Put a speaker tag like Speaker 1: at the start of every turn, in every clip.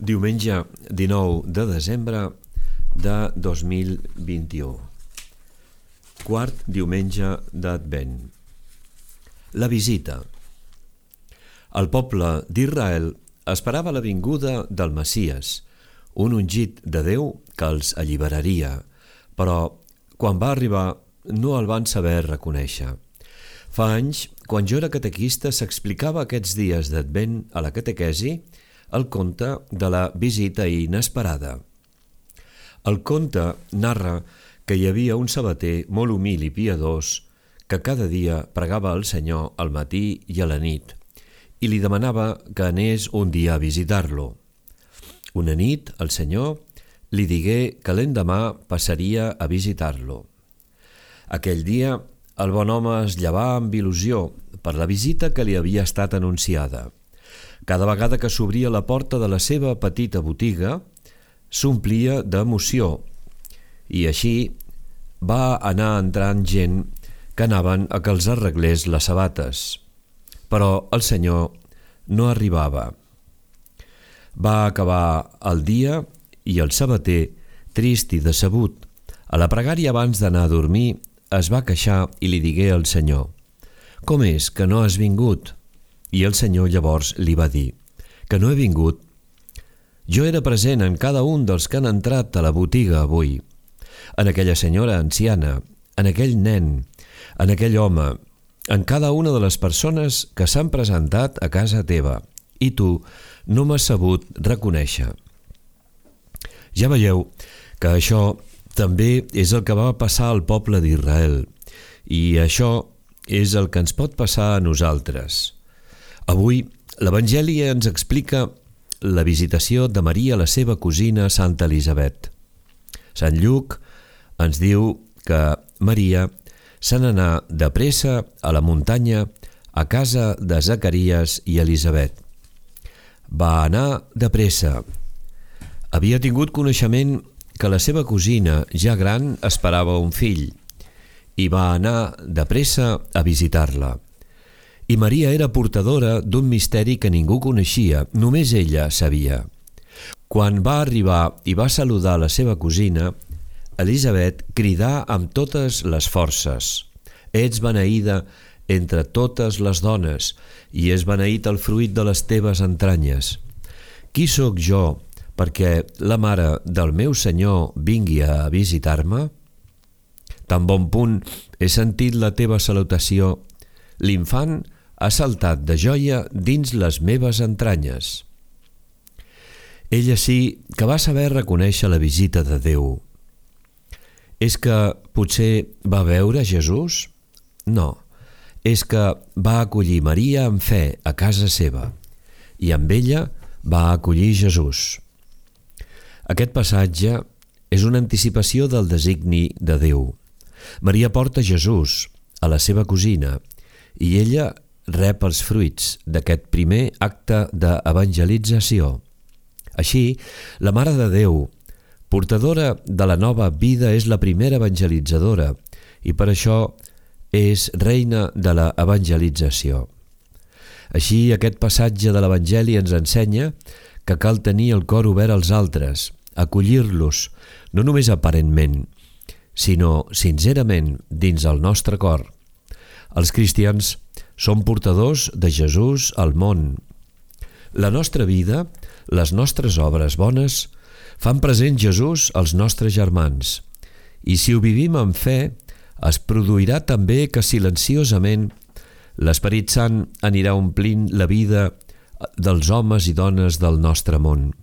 Speaker 1: Diumenge 19 de desembre de 2021. Quart diumenge d'Advent. La visita. El poble d'Israel esperava la vinguda del Messies, un ungit de Déu que els alliberaria, però quan va arribar no el van saber reconèixer. Fa anys, quan jo era catequista, s'explicava aquests dies d'Advent a la catequesi el conte de la visita inesperada. El conte narra que hi havia un sabater molt humil i piadós que cada dia pregava al Senyor al matí i a la nit i li demanava que anés un dia a visitar-lo. Una nit el Senyor li digué que l'endemà passaria a visitar-lo. Aquell dia el bon home es llevà amb il·lusió per la visita que li havia estat anunciada. Cada vegada que s'obria la porta de la seva petita botiga, s'omplia d'emoció i així va anar entrant gent que anaven a que els arreglés les sabates. Però el Senyor no arribava. Va acabar el dia i el sabater, trist i decebut, a la pregària abans d'anar a dormir, es va queixar i li digué al Senyor: «Com és que no has vingut?» I el Senyor llavors li va dir: «Que no he vingut? Jo era present en cada un dels que han entrat a la botiga avui, en aquella senyora anciana, en aquell nen, en aquell home, en cada una de les persones que s'han presentat a casa teva, i tu no m'has sabut reconèixer». Ja veieu que això també és el que va passar al poble d'Israel, i això és el que ens pot passar a nosaltres. Avui, l'Evangeli ens explica la visitació de Maria a la seva cosina Santa Elisabet. Sant Lluc ens diu que Maria se n'anà de pressa a la muntanya a casa de Zacaries i Elisabet. Va anar de pressa. Havia tingut coneixement que la seva cosina, ja gran, esperava un fill i va anar de pressa a visitar-la. I Maria era portadora d'un misteri que ningú coneixia, només ella sabia. Quan va arribar i va saludar la seva cosina, Elisabet cridà amb totes les forces: «Ets beneïda entre totes les dones, i és beneït el fruit de les teves entranyes. Qui sóc jo perquè la mare del meu Senyor vingui a visitar-me? Tan bon punt he sentit la teva salutació, l'infant ha saltat de joia dins les meves entranyes». Ella sí que va saber reconèixer la visita de Déu. És que potser va veure Jesús? No, és que va acollir Maria amb fe a casa seva i amb ella va acollir Jesús. Aquest passatge és una anticipació del designi de Déu. Maria porta Jesús a la seva cosina i ella rep els fruits d'aquest primer acte d'evangelització. Així, la Mare de Déu, portadora de la nova vida, és la primera evangelitzadora i per això és reina de la evangelització. Així, aquest passatge de l'Evangeli ens ensenya que cal tenir el cor obert als altres, acollir-los, no només aparentment, sinó sincerament dins el nostre cor. Els cristians som portadors de Jesús al món. La nostra vida, les nostres obres bones, fan present Jesús als nostres germans. I si ho vivim amb fe, es produirà també que silenciosament l'Esperit Sant anirà omplint la vida dels homes i dones del nostre món.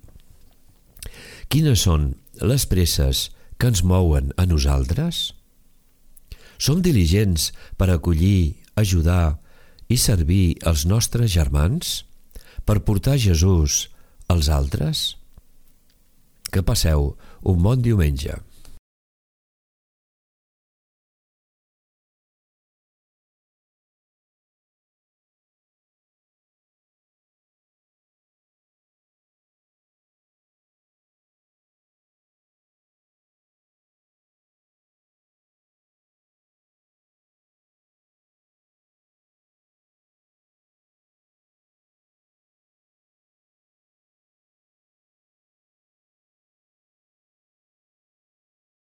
Speaker 1: Quines són les presses que ens mouen a nosaltres? Som diligents per acollir, ajudar i servir els nostres germans? Per portar Jesús als altres? Que passeu un bon diumenge.